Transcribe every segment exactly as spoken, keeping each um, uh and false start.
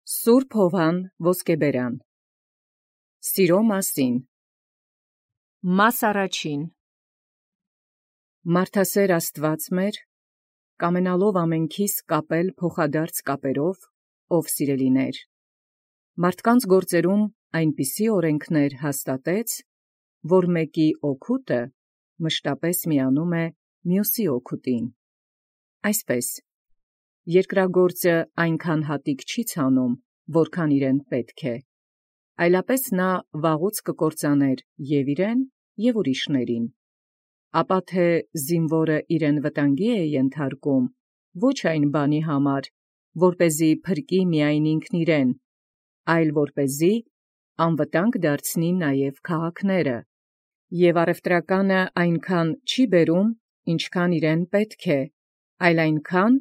Սուրբ Հովհան Ոսկեբերան Սիրո մասին Մաս առաջին Մարդասեր Աստուած մեր, կամենալով ամենքիս կապել փոխադարձ կապերով, ով սիրելիներ, մարդկանց գործերում այնպիսի օրենքներ հաստատեց, որ մեկի օգուտը մշտապես միանում է մյուսի օգուտին. այսպես, երկրագործը այնքան հատիկ չի ցանում, որքան իրեն պետք է, այլապես նա վաղուց կկործաներ և իրեն, և ուրիշներին, ապա թե զինվորը իրեն վտանգի է ենթարկում, ոչ այն բանի համար, որպեսզի փրկի միայն ինքն իրեն, այլ որպեսզի անվտանգ դարձնի նաև քաղաքները, և առևտրականը այնքան չի բերում, ինչքան իրեն պետք է, այլ այնքան,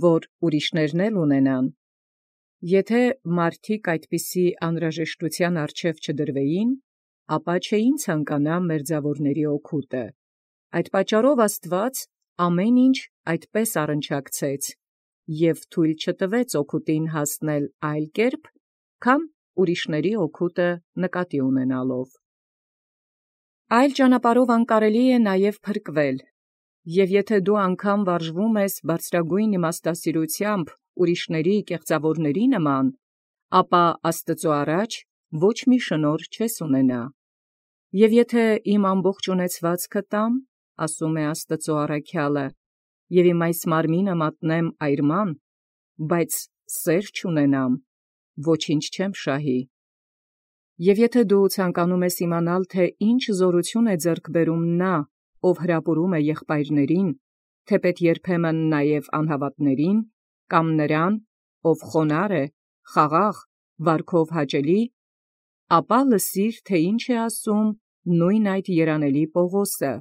որ ուրիշներն էլ ունենան. եթե մարդիկ այդպիսի անհրաժեշտութեան առջև չդրվեին, ապա չէին ցանկանա մերձաւորների օգուտը. այդ պատճառով Աստուած ամեն ինչ այդպես առնչակցեց և թույլ չտվեց օգուտին հասնել այլ կերպ, քան ուրիշների օգուտը նկատի ունենալով։ Այլ ճանապարհով անկարելի է նաև փրկվել, և եթե դու անգամ վարժվում ես բարձրագույն իմաստասիրութեամբ ուրիշների կեղծաւորների նման, ապա Աստուծոյ առաջ ոչ մի շնորհ չես ունենա։ Եւ եթե իմ ամբողջ ունեցվածքը տամ, ասում է Աստուծոյ առաքյալը, և իմ այս մարմինը մատնեմ այրման, բայց սեր չունենամ, ոչինչ չեմ շահի։ Եւ եթե դու ցանկանում ես իմանալ, թե ինչ զորություն է ձեռք բերում նա, ով հրապուրում է եղբայրներին, թեպետ երբեմն նաև անհավատներին, կամ նրան, ով խոնարհ է, խաղաղ, վարքով հաճելի, ապա լսիր, թե ինչ է ասում նույն այդ երանելի Պողոսը,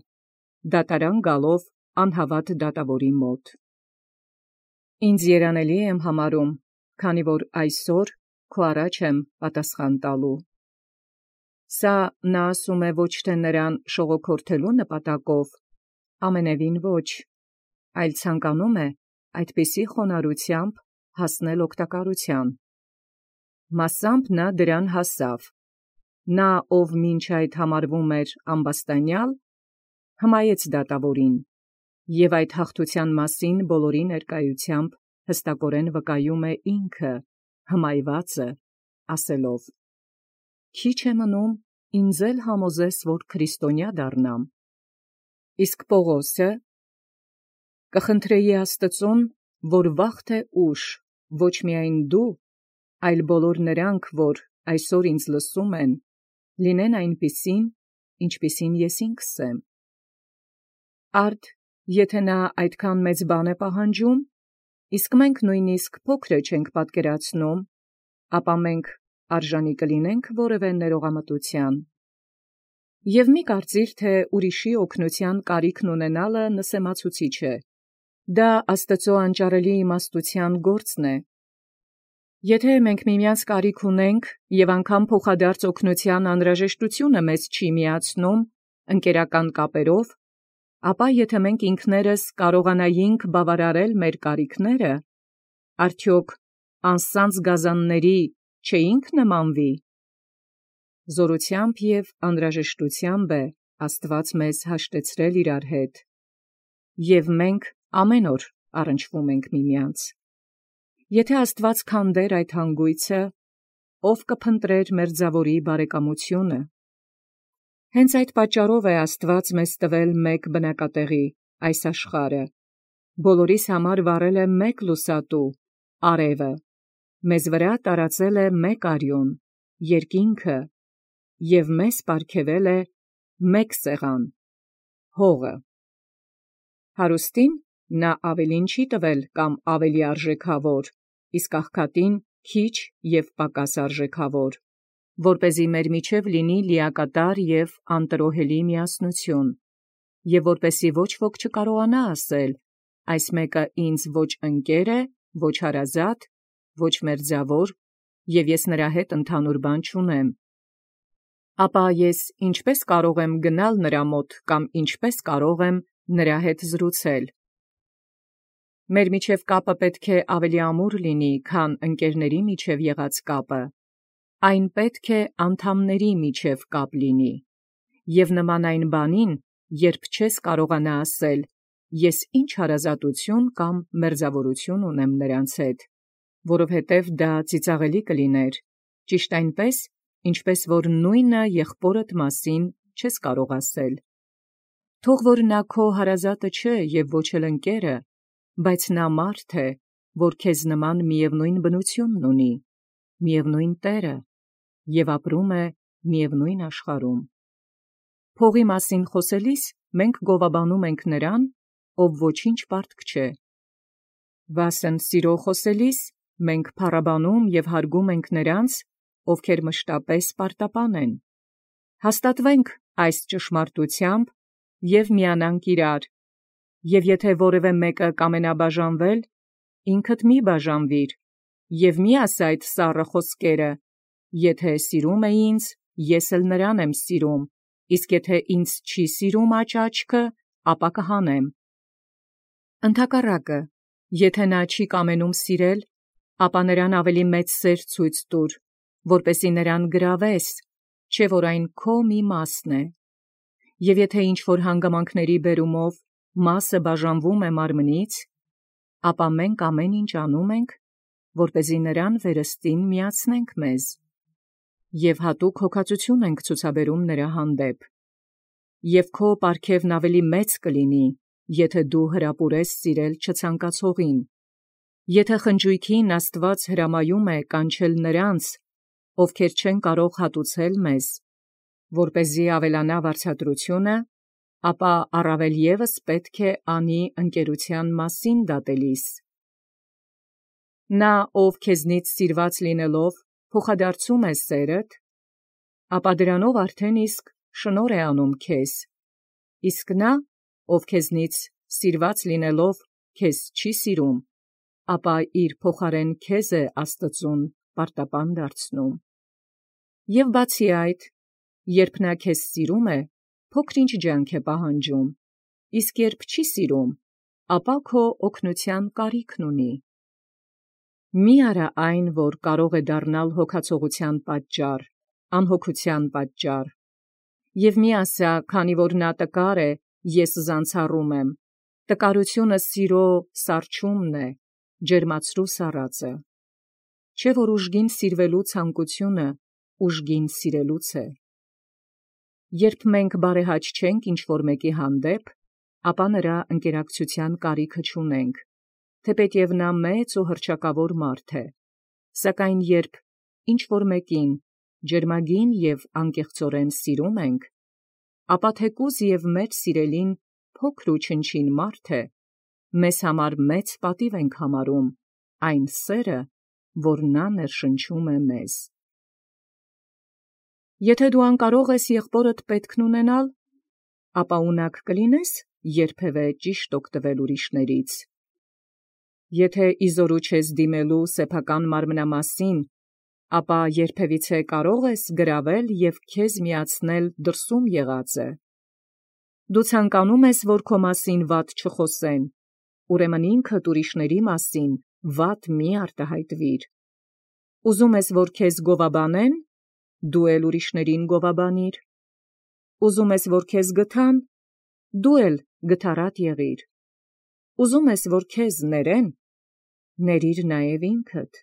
դատարան գալով անհավատ դատաւորի մոտ. Ինձ երանելի եմ համարում, քանի որ այսօր քո առաջ եմ պատասխան տալու։ Սա նա ասում է ոչ թե նրան շողոքորթելու նպատակով, ամենևին ոչ, այլ ցանկանում է այդպիսի խոնարհությամբ հասնել օգտակարութեան։ Մասամբ նա դրան հասավ. նա, ով մինչ այդ համարվում էր ամբաստանյալ, հմայեց դատաւորին, և այդ հաղթութեան մասին բոլորի ներկայութեամբ հստակորեն վկայում է ինքը, հմայվածը, ասելով. «Քիչ է մնում ինձ էլ համոզես, որ քրիստոնյա դառնամ»։ Իսկ Պողոսը կխնդրեի Աստուծոյ, որ վաղ թե ուշ ոչ միայն դու, այլ բոլոր նրանք, որ այսօր ինձ լսում են, լինեն այնպիսին, ինչպիսին ես ինքս եմ։ Արդ եթե նա այդքան մեծ բան է պահանջում, իսկ մենք նույնիսկ փոքրը չենք պատկերացնում, ապա մենք արժանի կլինե՞նք որևէ ներողամտութեան։ Եւ մի կարծիր, թե ուրիշի օգնութեան կարիքն ունենալը նսեմացուցիչ է, դա Աստուծոյ անճարելի իմաստութեան գործն է։ Եթե մենք միմյանց կարիք ունենք, և անգամ փոխադարձ օգնութեան անհրաժեշտությունը մեզ չի միացնում ընկերական կապերով, ապա եթե մենք ինքներս կարողանայինք բավարարել մեր կարիքները, արդյոք անսանձ գազանների չէինք նմանվի։ Զորութեամբ և անհրաժեշտութեամբ է Աստուած մեզ հաշտեցրել իրար հետ, և մենք ամեն օր առնչվում ենք միմյանց։ Եթե Աստուած քանդեր այդ հանգոյցը, ո՞վ կփնտրեր մերձաւորի բարեկամությունը։ Հենց այդ պատճառով է Աստուած մեզ տվել մեկ բնակատեղի, այս աշխարհը, բոլորիս համար վառել է մեկ լուսատու, արևը, մեզ վրա տարածել է մեկ արյուն, երկինքը, և մեզ պարգևել է մեկ սեղան, հողը։ Հարուստին նա ավելին չի տվել կամ ավելի արժեքավոր, իսկ աղքատին քիչ և պակաս արժեքավոր, որպեսզի մեր միջև լինի լիակատար և անտրոհելի միասնություն, և որպեսզի ոչ ոք չկարողանա ասել. այս մեկը ինձ ոչ ընկեր է, ոչ հարազատ, ոչ մերձաւոր, և ես նրա հետ ընդհանուր բան չունեմ։ Ապա ես ինչպե՞ս կարող եմ գնալ նրա մոտ կամ ինչպե՞ս կարող եմ նրա հետ զրուցել։ Մեր միջև կապը պետք է ավելի ամուր լինի, քան ընկերների միջև եղած կապը. այն պետք է անդամների միջև կապ լինի, և նման այն բանին, երբ չես կարողանա ասել, ես ինչ հարազատություն կամ մերձավորություն ունեմ նրանց հետ, որովհետև դա ծիծաղելի կլիներ, ճիշտ այնպես, ինչպես որ նույնը եղբորդ մասին չես կարող ասել. Թող որ նա քո հարազատը չէ և ոչ էլ ընկերը, բայց նա մարդ է, որ քեզ նման միևնույն բնությունն ունի, միևնույն Տերը, և ապրում է միևնույն աշխարհում։ Փողի մասին խոսելիս մենք գովաբանում ենք նրան, ով ոչինչ պարտք չէ։ Վասն սիրո խոսելիս մենք փառաբանում և հարգում ենք նրանց, ովքեր մշտապես պարտապան են։ Հաստատվենք այս ճշմարտությամբ և միանանք իրար, և եթե որևէ մեկը կամենա բաժանվել, ինքդ մի բաժանվիր, և մի ասա այդ սառը խոսքերը. եթե սիրում է ինձ, ես էլ նրան եմ սիրում, իսկ եթե ինձ չի սիրում աջ աչքը, ապա կհանեմ։ Ընդհակառակը, եթե նա չի կամենում սիրել, ապա նրան ավելի մեծ սեր ցույց տուր, որպեսզի նրան գրավես, չէ՞ որ այն քո մի մասն է։ Եվ եթե ինչ-որ հանգամանքների բերումով մասը բաժանվում է մարմնից, ապա մենք ամեն ինչ անում ենք, որպեսզի նրան վերստին միացնենք մեզ, և հատուկ հոգածություն ենք ցուցաբերում նրա հանդեպ։ Եվ քո պարգևն ավելի մեծ կլինի, եթե դու հրապուրես սիրել չցանկացողին, եթե խնջույքին Աստված հրամայում է կանչել նրանց, ովքեր չեն կարող հատուցել մեզ, որպեսզի ավելանա վարձատրությունը, ապա առավել ևս պետք է անի ընկերության մասին դատելիս։ Նա, ով քեզնից սիրված լինելով փոխադարձում է սերդ, ապա դրանով արդեն իսկ շնորհ է անում քեզ, իսկ նա, ով քեզնից սիրված լինելով քեզ չի սիրում, ապա իր փոխարեն քեզ է Աստծուն պարտապան դարձնում։ Եվ բացի այդ, երբ նա քեզ սիրում է, փոքր-ինչ ջանք է պահանջում, իսկ երբ չի սիրում, ապա քո օգնության կարիքն ունի։ Մի արա այն, որ կարող է դառնալ հոգացողության պատճառ, անհոգության պատճառ, և մի ասա, քանի որ նա տկար է, ես զանցառում եմ, տկարությունը սիրո սառչումն է, ջերմացրու սառածը, չէ՞ որ ուժգին սիրվելու ցանկությունը ուժգին սիրելուց է։ Երբ մենք բարեհաճ չենք ինչ-որ մեկի հանդեպ, ապա նրա ընկերակցության կարիքը չունենք, թեպետև նա մեծ ու հռչակավոր մարդ է, սակայն երբ ինչ-որ մեկին ջերմագին և անկեղծորեն սիրում ենք, ապա թեկուզ և մեր սիրելին փոքր ու չնչին մարդ է, մեզ համար մեծ պատիվ ենք համարում այն սերը, որ նա ներշնչում է մեզ։ Եթե դու անկարող ես եղբորդ պետքն ունենալ, ապա ունակ կլինե՞ս երբևէ ճիշտ օգտվել ուրիշներից։ Եթե իզորու չես դիմելու սեփական մարմնամասին, ապա երբևիցե կարո՞ղ ես գրավել և քեզ միացնել դրսում եղածը։ Դու ցանկանում ես, որ քո մասին վատ չխոսեն, ուրեմն ինքդ ուրիշների մասին վատ մի արտահայտվիր։ Ուզում ես, որ քեզ գովաբանեն, դու էլ ուրիշներին գովաբանիր։ Ուզում ես, որ քեզ գթան, դու էլ գթառատ եղիր։ Ուզում ես, որ քեզ ներեն, ների՛ր նաև ինքդ։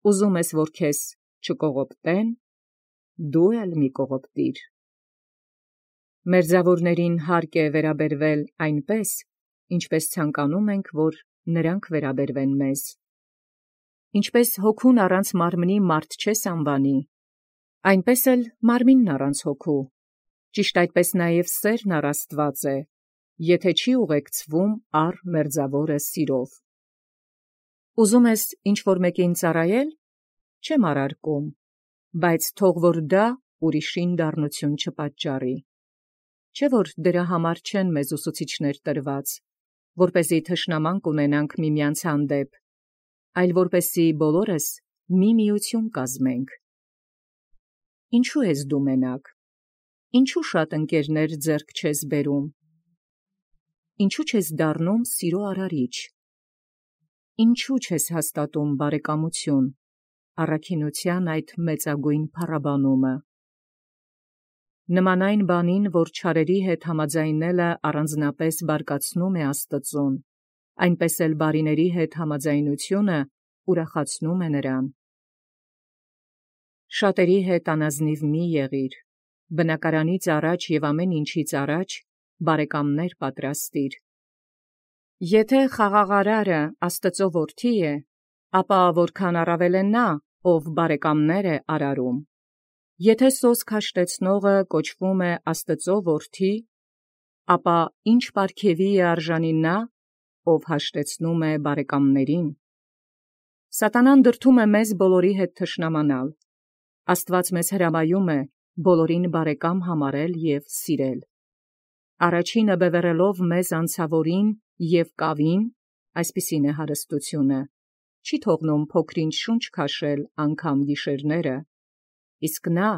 Ուզում ես, որ քեզ չկողոպտեն, դու էլ մի կողոպտիր։ Մերձավորներին հարկ է վերաբերվել այնպես, ինչպես ցանկանում ենք, որ նրանք վերաբերվեն մեզ։ Ինչպես հոգուն առանց մարմնի մարդ չես անվանի, այնպես էլ մարմինն առանց հոգու, ճիշտ այդպես նաև սերն առ Աստված է, եթե չի ուղեկցվում առ մերձավորը սիրով։ Ուզում ես ինչ-որ մեկին ծառայել, չեմ առարկում, բայց թող որ դա ուրիշին դառնություն չպատճառի։ Չէ՞ որ դրա համար չեն մեզ ուսուցիչներ տրված, որպեսզի թշնամանք ունենանք միմյանց հանդեպ, այլ որպեսզի բոլորս մի միություն կազմենք։ Ինչո՞ւ ես դու մենակ, ինչու՞ շատ ընկերներ ձեռք չես բերում, ինչու՞ չես դառնում սիրո արարիչ, ինչու չես հաստատում բարեկամություն, առաքինութեան այդ մեծագույն փառաբանումը։ Նման այն բանին, որ չարերի հետ համաձայնելը առանձնապես բարկացնում է Աստծուն, այնպես էլ բարիների հետ համաձայնությունը ուրախացնում է նրան։ Շատերի հետ անազնիվ մի եղիր, բնակարանից առաջ և ամեն ինչից առաջ բարեկամներ պատրաստիր։ Եթե խաղաղարարը Աստծո որդի է, ապա որքան առավել է նա, ով բարեկամներ է արարում։ Եթե սոսկ հաշտեցնողը կոչվում է Աստծո որդի, ապա ինչ պարգևի է արժանի նա, ով հաշտեցնում է բարեկամներին։ Սատանան դրդում է մեզ բոլորի հետ թշնամանալ։ Աստված մեզ հրամայում է բոլորին բարեկամ համարել և սիրել։ Առաջինը բևեռելով մեզ անցավորին և կավին, այսպիսին է հարստությունը, չի թողնում փոքրինչ շունչ քաշել անգամ գիշերները, իսկ նա,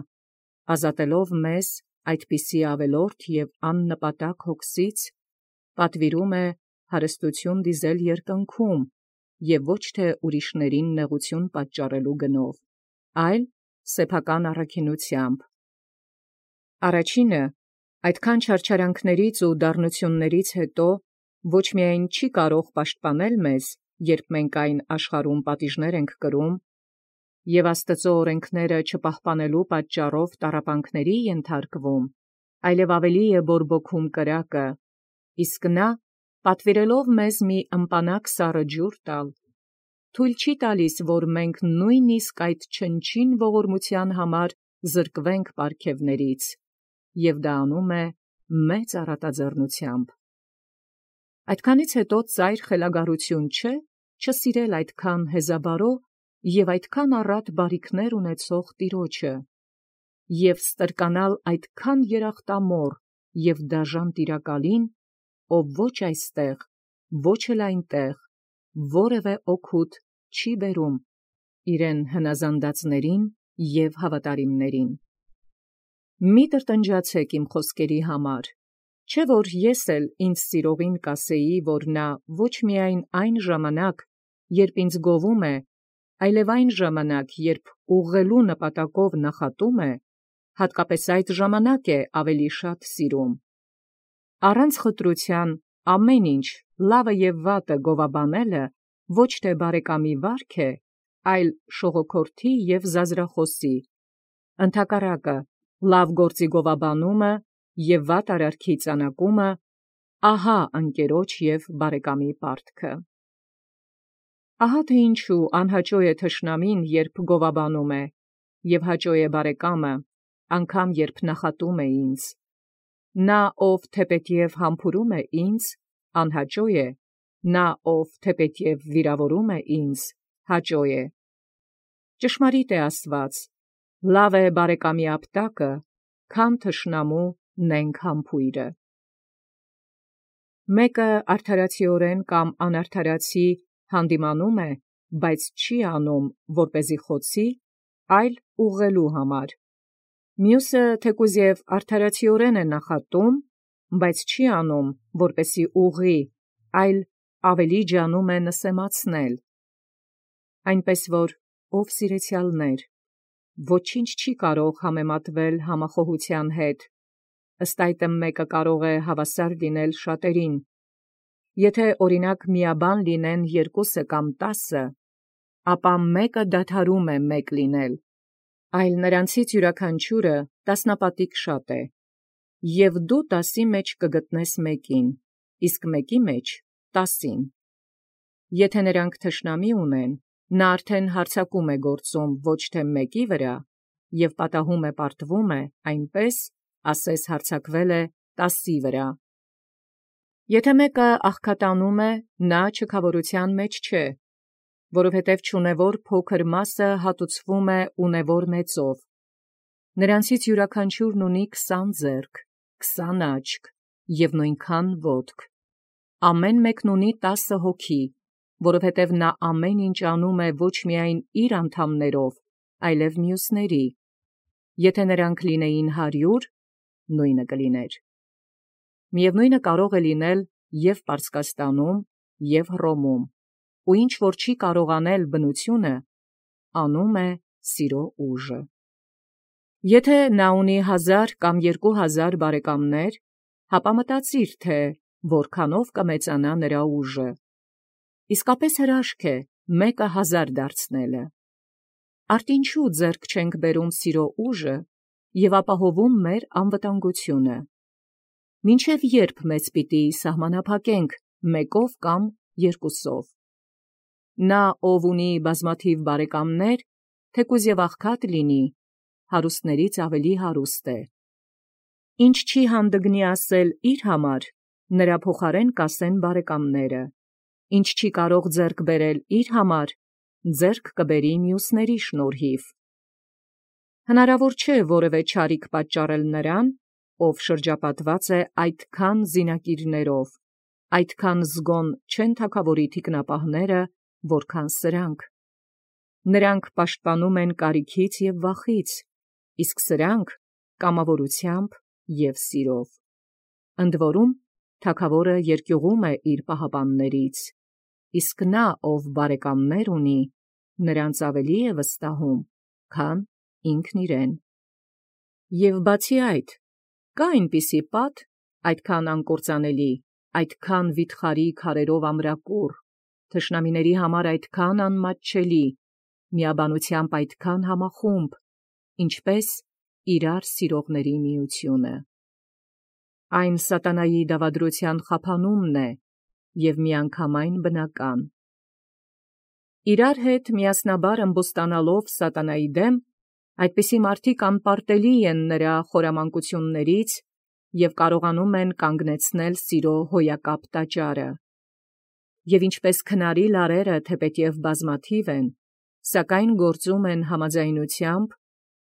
ազատելով մեզ այդպիսի ավելորդ և աննպատակ հոգսից, պատվիրում է հարստություն դիզել երկնքում և ոչ թե ուրիշներին նեղություն պատճառելու գնով, այլ սեփական առաքինութեամբ։ Առաջինը այդքան չարչարանքներից ու դառնություններից հետո ոչ միայն չի կարող պաշտպանել մեզ, երբ մենք այն աշխարհում պատիժներ ենք կրում, և Աստծո օրենքները չպահպանելու պատճառով տառապանքների ենթարկվում, այլև ավելի է բորբոքում կրակը, իսկ նա, պատվիրելով մեզ մի ըմպանակ սառը ջուր տալ, թույլ չի տալիս, որ մենք նույնիսկ այդ չնչին ողորմության համար զրկվենք պարգևներից, և դա անում է մեծ առատաձեռնությամբ։ Այդքանից հետո ծայր խելագարություն չէ չսիրել այդքան հեզաբարո և այդքան առատ բարիքներ ունեցող Տիրոջը, և ստրկանալ այդքան երախտամոռ և դաժան Տիրակալին, ով ոչ այստեղ, ոչ էլ այնտեղ, որևէ օգուտ չի բերում իրեն հնազանդածներին և հավատարիմներին։ Մի տրտնջացեք իմ խոսքերի համար, չէ՞ որ ես էլ ինձ սիրողին կասեի, որ նա ոչ միայն այն ժամանակ, երբ ինձ գովում է, այլև այն ժամանակ, երբ ուղղելու նպատակով նախատում է, հատկապես այդ ժամանակ է ավելի շատ սիրում։ Առանց խտրության ամեն ինչ, լավը և վատը գովաբանելը ոչ թե բարեկամի վարք է, այլ շողոքորթի և զազրախոսի, ընդհակառակը, լավ գործի գովաբանումը և վատ արարքի ծանակումը, ահա ընկերոջ և բարեկամի պարտքը։ Ահա թե ինչու անհաճո է թշնամին, երբ գովաբանում է, և հաճո է բարեկամը, անգամ երբ նախատում է ինձ։ Նա, ով թեպետև համբուրում է ինձ, անհաճո է, նա, ով թեպետև վիրավորում է ինձ, հաճո է։ Ճշմարիտ է ասված. լավ է բարեկամի ապտակը, քան թշնամու նենգ համբույրը։ Մեկը արդարացիորեն կամ անարդարացի հանդիմանում է, բայց չի անում, որպեսզի խոցի, այլ ուղղելու համար։ Մյուսը թեկուզ և արդարացիորեն է նախատում, բայց չի անում, որպեսզի ուղղի, այլ ավելի ջանում է նսեմացնել։ Այնպես որ, ով սիրեցյալներ, ոչինչ չի կարող համեմատվել համախոհության հետ, ըստ այդմ մեկը կարող է հավասար լինել շատերին։ Եթե օրինակ միաբան լինեն երկուսը կամ տասը, ապա մեկը դադարում է մեկ լինել, այլ նրանցից յուրաքանչյուրը տասնապատիկ շատ է, և դու տասի մեջ կգտնես մեկին, իսկ մեկի մեջ տասին։ Եթե նրանք թշնամի ունեն, նա արդեն հարձակում է գործում ոչ թե մեկի վրա, և պատահում է պարտվում է, այնպես, ասես հարձակվել է տասի վրա։ Եթե մեկը աղքատանում է, նա չքավորության մեջ չէ, որովհետև չունևոր փոքր մասը հատուցվում է ունևոր մեծով։ Նրանցից յուրաքանչյուրն ունի քսան ձեռք, քսան աչք և նույնքան ոտք։ Ամեն մեկն ունի տասը հոգի, որովհետև նա ամեն ինչ անում է ոչ միայն իր անդամներով, այլև մյուսների։ Եթե նրանք լինեին հարյուր, նույնը կլիներ։ Միևնույնը կարող է լինել և Պարսկաստանում, և Հռոմում, ու ինչ որ չի կարողանել բնությունը, անում է սիրո ուժը։ Եթե նա ունի հազար կամ երկու հազար բարեկամներ, հապա մտածիր, թե որքանով կմեծանա նրա ուժը։ Իսկապես հրաշք է մեկը հազար դարձնելը։ Արդ ինչու ձեռք չենք բերում սիրո ուժը և ապահովում մեր անվտանգությունը։ Մինչև երբ մեզ պիտի սահմանափակենք մեկով կամ երկուսով։ Նա, ով ունի բազմաթիվ բարեկամներ, թեկուզ և աղքատ լինի, հարուստներից ավելի հարուստ է։ Ինչ չի հանդգնի ասել իր համար, նրա փոխարեն կասեն բարեկամները. ինչ չի կարող ձեռք բերել իր համար, ձեռք կբերի մյուսների շնորհիվ։ Հնարավոր չէ որևէ չարիք պատճառել նրան, ով շրջապատված է այդքան զինակիրներով, այդքան զգոն չեն թագավորի թիկնապահները, որքան սրանք։ Նրանք պաշտպանում են կարիքից և վախից, իսկ սրանք կամավորությամբ և սիրով։ Ընդ որում, թագավորը երկյուղում է իր պահապաններից, իսկ նա, ով բարեկամներ ունի, նրանց ավելի է վստահում, քան ինքն իրեն։ Եվ բացի այդ, կա այնպիսի պատ, այդքան անկործանելի, այդքան վիթխարի քարերով ամրակուռ, թշնամիների համար այդքան անմատչելի, միաբանությամբ այդքան համախումբ, ինչպես իրար սիրողների միությունը։ Այն սատանայի դավադրության խափանումն է և միանգամայն բնական։ Իրար հետ միասնաբար ըմբոստանալով սատանայի դեմ, այդպիսի մարդիկ անպարտելի են նրա խորամանկություններից և կարողանում են կանգնեցնել սիրո հոյակապ տաճարը։ Եվ ինչպես քնարի լարերը թեպետև բազմաթիվ են, սակայն գործում են համաձայնությամբ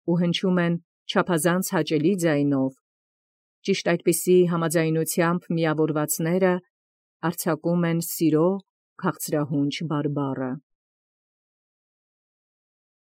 ու հնչում են չափազանց հաճելի ձայնով, ճիշտ այդպիսի համաձայնությամբ միավորվածները արձակում են սիրո քաղցրահունչ բարբառը։